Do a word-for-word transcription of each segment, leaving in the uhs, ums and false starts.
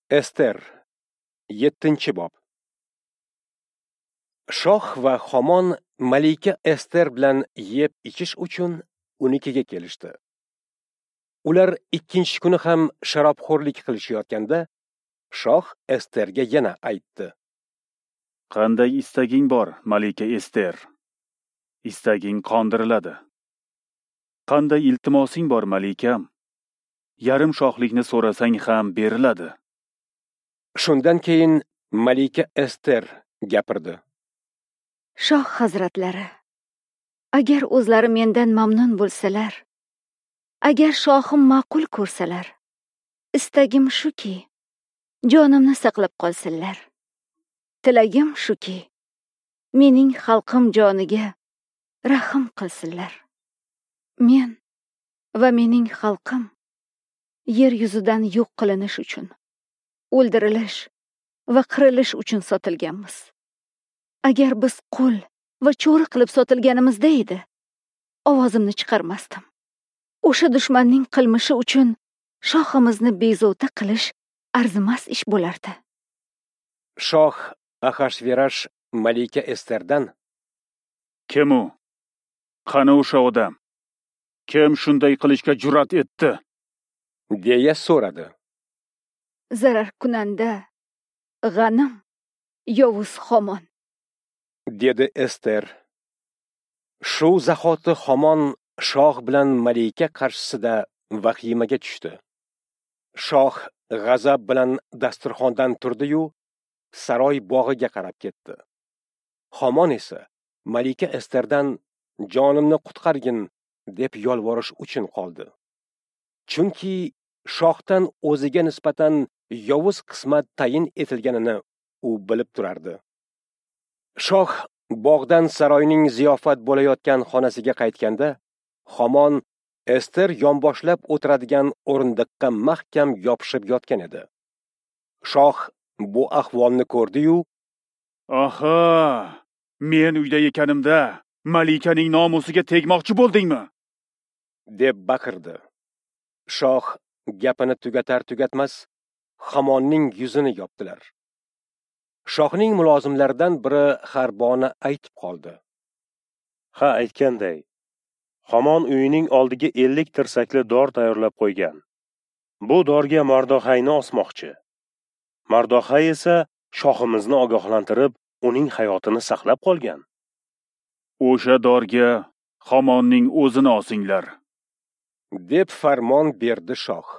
Ester, yettinchi bob. Shoh va Homon malika Ester bilan yeb ichish uchun unikiga kelishdi. Ular ikkinchi kuni ham sharobxo'rlik qilishayotganda shoh Esterga yana aytdi: Qanday istaging bor, malika Ester? Istaging qondiriladi. Qanday iltimosing bor, malikam? Yarim shohlikni so'rasang ham beriladi. Shundan keyin malika Ester gapirdi. Shoh hazratlari, agar o'zlari mendan mamnun bo'lsalar, agar shohim ma'qul ko'rsalar, istagim shuki, jonimni saqlab qolsinlar. Tilagim shuki, mening xalqim joniga rahm qilsinlar. Men va mening xalqim yer yuzidan yo'q qilinish uchun, o'ldirilish va qirilish uchun sotilganmiz. Agar biz qul va cho'ri qilib sotilganimizda edi, ovozimni chiqarmasdim. O'sha dushmanning qilmishi uchun shohimizni bezovta qilish arzimas ish bo'lardi. Shoh Ahashverash malika Esterdan: Kim u? Qani o'sha odam? Kim shunday qilishga jur'at etdi? deya so'radi. Zarar kunanda g'anim yovuz Homon, dedi Ester. Shu zahoti Homon shoh bilan malika qarshisida vahimaga tushdi. Shoh g'azab bilan dasturxondan turdi-yu, saroy bog'iga qarab ketdi. Homon esa malika Esterdan jonimni qutqargin deb yolvorish uchun qoldi. Chunki shohdan o'ziga nisbatan yovuz qismat tayin etilganini u bilib turardi. Shoh bog'dan saroyning ziyofat bo'layotgan xonasiga qaytganda, Homon Ester yonboshlab o'tiradigan o'rindiqqa mahkam yopishib yotgan edi. Shoh bu ahvolni ko'rdi-yu, "Aha, men uyda ekanimda malikaning nomusiga tegmoqchi bo'ldingmi?" deb baqirdi. Shoh gapini tugatar tugatmas Hamonning yuzini yopdilar. Shohning mulozimlaridan biri Xarbona aytib qoldi: "Ha, aytganday, Hamon uyining oldiga ellik tirsakli dor tayyorlab qo'ygan. Bu dorga Mardoxayni osmoqchi. Mardoxay esa shohimizni ogohlantirib, uning hayotini saqlab qolgan. O'sha dorga Hamonning o'zini osinglar," deb farmon berdi shoh.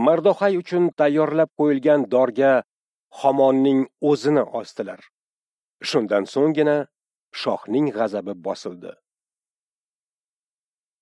Mardoxay uchun tayyorlab qo'yilgan dorga Hamonning o'zini osdilar. Shundan so'nggina shohning g'azabi bosildi.